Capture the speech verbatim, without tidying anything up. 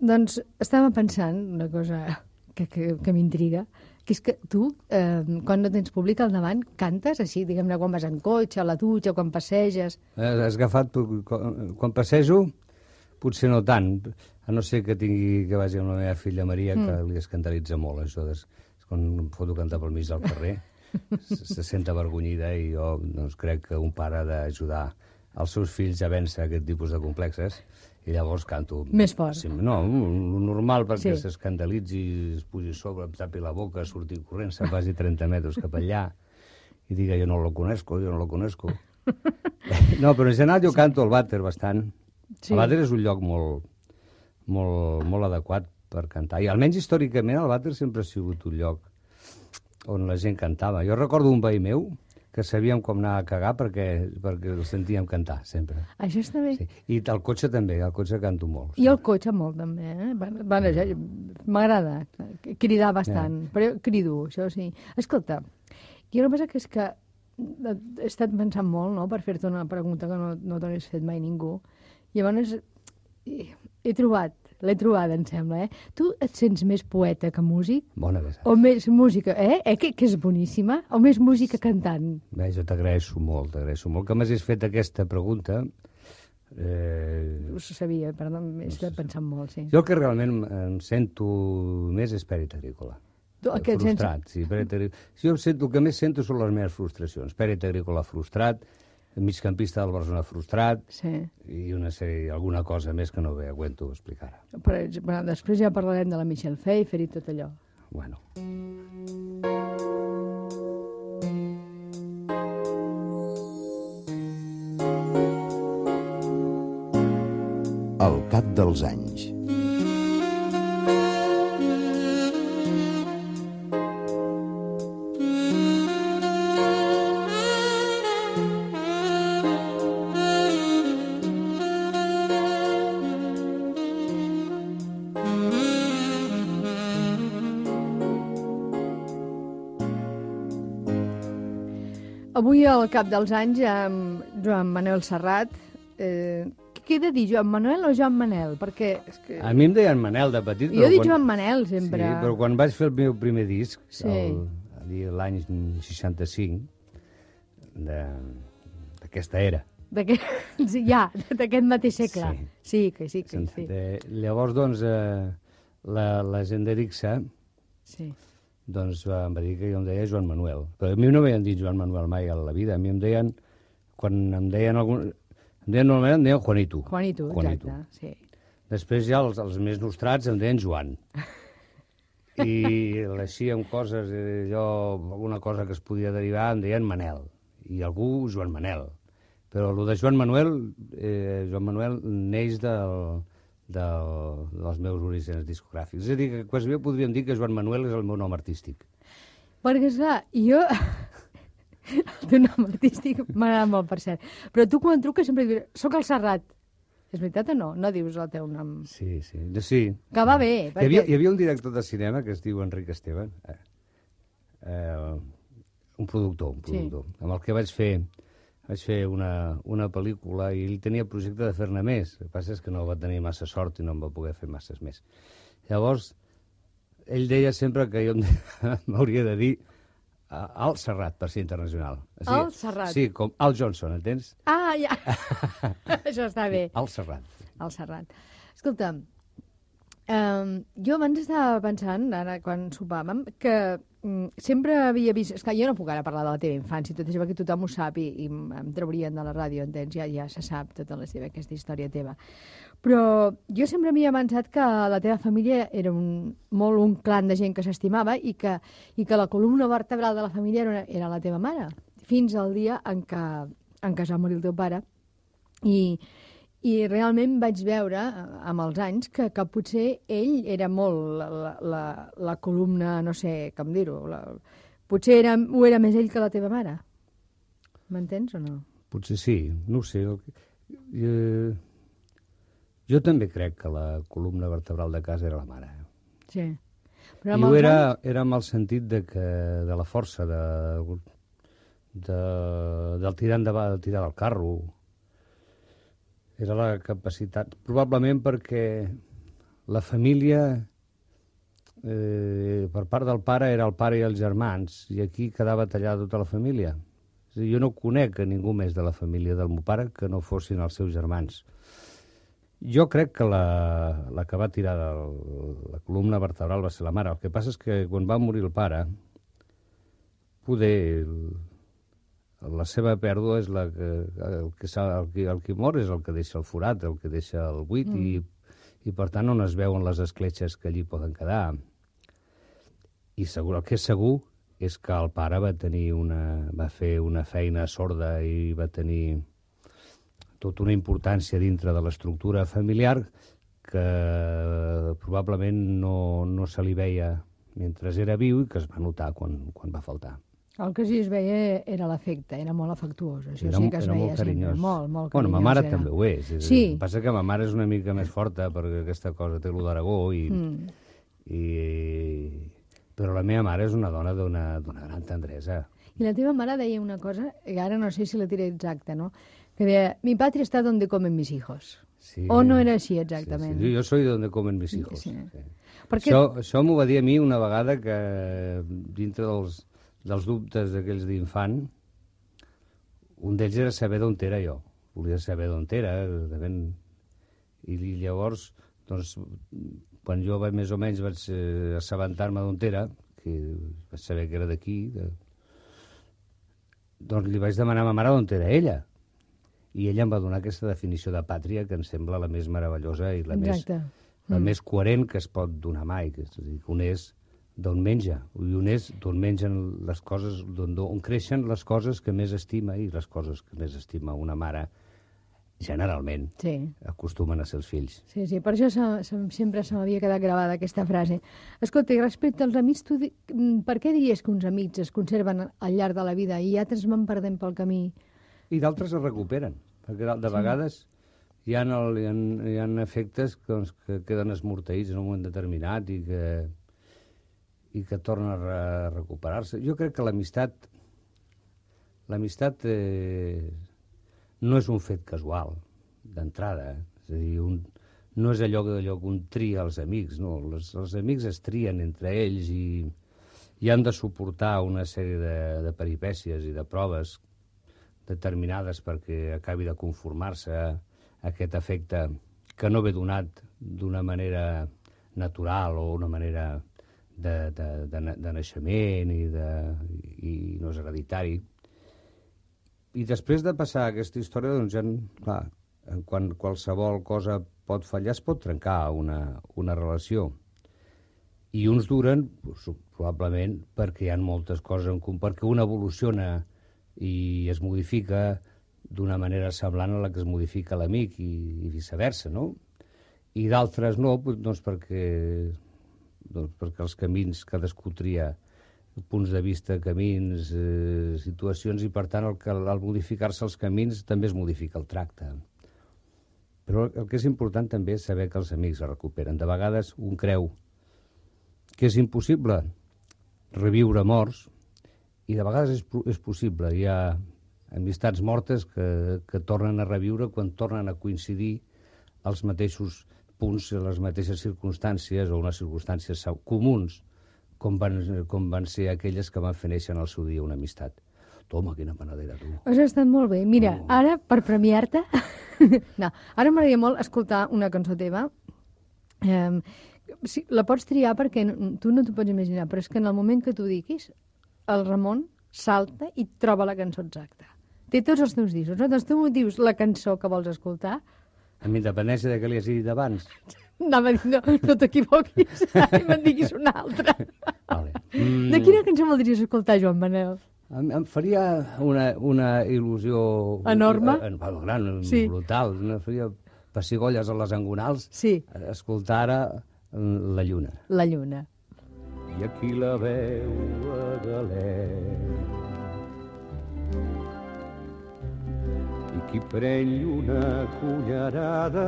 Doncs estava pensant una cosa que, que, que m'intriga, que és que tu, eh, quan no tens públic al davant, cantes així, diguem-ne, quan vas en cotxe, a la dutxa, quan passeges... Has agafat... Quan passejo, potser no tant, a no ser que tingui que vagi amb la meva filla Maria, mm. que li escandalitza molt, això. Des, quan em foto cantar pel mig del carrer, se, se sent avergonyida i jo doncs, crec que un pare ha d'ajudar els seus fills a vèncer aquest tipus de complexes. I llavors canto... Més fort. Sí, no, lo normal perquè sí. s'escandalitzi, es pugi a sobre, em tapi la boca, surti corrent, se'n vagi trenta metres cap allà i diga, jo no lo conozco, jo no lo conozco. No, però en general jo sí. canto al vàter bastant. Sí. El vàter és un lloc molt, molt, molt adequat per cantar. I almenys històricament el vàter sempre ha sigut un lloc on la gent cantava. Jo recordo un veí meu que sabíem com anar a cagar perquè, perquè el sentíem cantar, sempre. Això està bé. Sí. I al cotxe també, al cotxe canto molt. I al cotxe molt, també, eh? Bueno, ja, m'agrada cridar bastant, yeah. però crido, això sí. Escolta, hi ha una cosa que és que he estat pensant molt, no?, per fer-te una pregunta que no, no t'hagués fet mai ningú. Llavors, he, he trobat, l'he trobada, em sembla, eh? Tu et sents més poeta que músic? Bona vegada. O més música, eh? eh? Que, que és boníssima? O més música cantant? Bé, jo t'agraeixo molt, t'agraeixo molt que m'hagis fet aquesta pregunta. Eh... Ho sabia, perdó, m'he estat pensant molt, sí. Jo el que realment em sento més és Pèrit Agrícola. Tu, frustrat, sense... sí. Pèrit Agrícola. Si jo sento, el que més sento són les meves frustracions. Pèrit Agrícola frustrat, migcampista del Barcelona frustrat, sí. i una sèrie, alguna cosa més que no bé aguento explicar ara. Però, però després ja parlarem de la Michelle Pfeiffer i tot allò. Bueno. Al cap dels anys. Avui, al cap dels anys, amb Joan Manel Serrat. Eh, què he de dir, Joan Manuel o Joan Manel? Perquè és que... A mi em deien Manel de petit. Jo dic quan... Joan Manel, sempre. Sí, però quan vaig fer el meu primer disc, sí. l'any seixanta-cinc, d'aquesta era. Sí, ja, d'aquest mateix segle. Sí, sí que sí. Que sí. De... Llavors, doncs, eh, la, la gent d'Erixa... Sí. Doncs em va dir que jo em deia Joan Manuel. Però a mi no m'havien dit Joan Manuel mai a la vida. A mi em deien, quan em deien algun... Em deien normalment, em deien Juanito. Juanito, Juanito. Exacte, sí. Després ja els, els més nostrats em deien Joan. I així amb coses, eh, jo, alguna cosa que es podia derivar, em deien Manel. I algú Joan Manel. Però el de Joan Manuel, eh, Joan Manuel neix del... Del, dels meus orígens discogràfics. És a dir, que quasi bé podríem dir que Joan Manuel és el meu nom artístic. Perquè, esclar, jo... El teu nom artístic m'agrada molt, per cert. Però tu, quan truques, sempre dius, soc el Serrat. És veritat o no? No dius el teu nom. Sí, sí. sí. Que va bé. Perquè... Hi, havia, hi havia un director de cinema que es diu Enric Esteban, eh, eh, un productor, un productor, sí. amb el que vaig fer... Vaig fer una, una pel·lícula i ell tenia projecte de fer-ne més. El que passa és que no va tenir massa sort i no em va poder fer masses més. Llavors, ell deia sempre que jo m'hauria de dir Al Serrat, per ser internacional. Sí, Al Serrat. Sí, com Al Johnson, entens? Ah, ja. Això està bé. Al Serrat. Al Serrat. Escolta, um, jo abans estava pensant, ara quan sopàvem, que sempre havia vist... Esclar, jo no puc ara parlar de la teva infància, tot això, perquè tothom ho sap i, i em traurien de la ràdio, entens? Ja, ja se sap tota la seva, aquesta història teva. Però jo sempre m'havia pensat que la teva família era un, molt un clan de gent que s'estimava i que, i que la columna vertebral de la família era, era la teva mare, fins al dia en què, en què es va morir el teu pare. I... I realment vaig veure, amb els anys, que, que potser ell era molt la, la, la columna, no sé com dir-ho, potser era, ho era més ell que la teva mare. M'entens o no? Potser sí, no ho sé. Jo, jo també crec que la columna vertebral de casa era la mare. Sí. Però I ho era, anys... era amb el sentit de, que, de la força, de, de, del tirar endavant, del tirar del carro. Era la capacitat, probablement perquè la família, eh, per part del pare, era el pare i els germans, i aquí quedava tallada tota la família. És a dir, jo no conec a ningú més de la família del meu pare que no fossin els seus germans. Jo crec que la, la que va tirar del, la columna vertebral va ser la mare. El que passa és que quan va morir el pare, poder... El, la seva pèrdua és la que, el, que el, que, el que mor és el que deixa el forat, el que deixa el buit, mm. i, i per tant on es veuen les escletxes que allí poden quedar. I segur, el que és segur és que el pare va tenir una, va fer una feina sorda i va tenir tota una importància dintre de l'estructura familiar que probablement no, no se li veia mentre era viu i que es va notar quan, quan va faltar. El que sí es veia era l'afecte, era molt afectuós. Això era, sí que es era veia molt carinyós. Sempre. Molt, molt bueno, carinyós. ma mare era. també ho és. és sí. El que passa que ma mare és una mica més forta perquè aquesta cosa té lo d'Aragó i, mm. i... Però la meva mare és una dona d'una gran tendresa. I la teva mare deia una cosa, que ara no sé si la diré exacta, no? Que deia, mi patria està donde comen mis hijos. Sí, o no era així exactament? Sí, sí. Jo soy donde comen mis hijos. Sí. Sí. Perquè... Això, això m'ho va dir a mi una vegada que dintre dels dels dubtes d'aquells d'infant, un d'ells era saber d'on era jo. Volia saber d'on era. Ben... I llavors, doncs, quan jo més o menys vaig eh, assabentar-me d'on era, que vaig saber que era d'aquí, de... doncs li vaig demanar a ma mare d'on era ella. I ella em va donar aquesta definició de pàtria que em sembla la més meravellosa i la, més, la mm. més coherent que es pot donar mai. Que és a dir, que un és d'on menja, i un és d'on mengen les coses, d'on on creixen les coses que més estima, i les coses que més estima una mare, generalment, sí. acostumen a ser els fills. Sí, sí, per això se, se, sempre se m'havia quedat gravada aquesta frase. Escolta, i respecte als amics, tu, per què diries que uns amics es conserven al llarg de la vida i altres van perdent pel camí? I d'altres es recuperen, perquè de, de sí. vegades hi ha, el, hi ha, hi ha efectes que, doncs, que queden esmorteïts en un moment determinat i que i que torna a re recuperar-se. Jo crec que l'amistat l'amistat eh, no és un fet casual, d'entrada. És a dir, un, no és allò, allò que un tria els amics, no. Les, els amics es trien entre ells i, i han de suportar una sèrie de, de peripècies i de proves determinades perquè acabi de conformar-se a aquest efecte que no ve donat d'una manera natural o una manera De, de, de, de naixement i, de, i no és hereditari. I després de passar aquesta història, doncs ja, clar, quan qualsevol cosa pot fallar, es pot trencar una, una relació. I uns duren, probablement, perquè hi ha moltes coses en comú, perquè un evoluciona i es modifica d'una manera semblant a la que es modifica l'amic i, i viceversa, no? I d'altres no, doncs perquè... doncs perquè els camins, cadascú tria punts de vista, camins, eh, situacions, i per tant el que, al modificar-se els camins també es modifica el tracte. Però el que és important també és saber que els amics es recuperen. De vegades un creu que és impossible reviure morts i de vegades és, és possible. Hi ha amistats mortes que, que tornen a reviure quan tornen a coincidir els mateixos punts, les mateixes circumstàncies o unes circumstàncies comuns com van, com van ser aquelles que van fer néixer en el seu dia una amistat. Toma, quina panadera, tu. Has estat molt bé. Mira, oh. ara, per premiar-te... no, ara m'agradaria molt escoltar una cançó teva. Um, sí, la pots triar perquè no, tu no t'ho pots imaginar, però és que en el moment que tu diguis, el Ramon salta i troba la cançó exacta. Té tots els teus discos, no? Doncs tu m'ho dius la cançó que vols escoltar. Amb independència de què li has dit abans. Anava a dir, no, no t'equivoquis, i me'n diguis una altra. Vale. Mm. De quina cançó voldries escoltar, Joan Manel? Em, em faria una, una il·lusió... Enorme? Eh, eh, gran, sí. brutal. Em faria pessigolles a les angonals. Sí. Escoltar ara La lluna. La lluna. I aquí la veu a galet. I qui pren una cullerada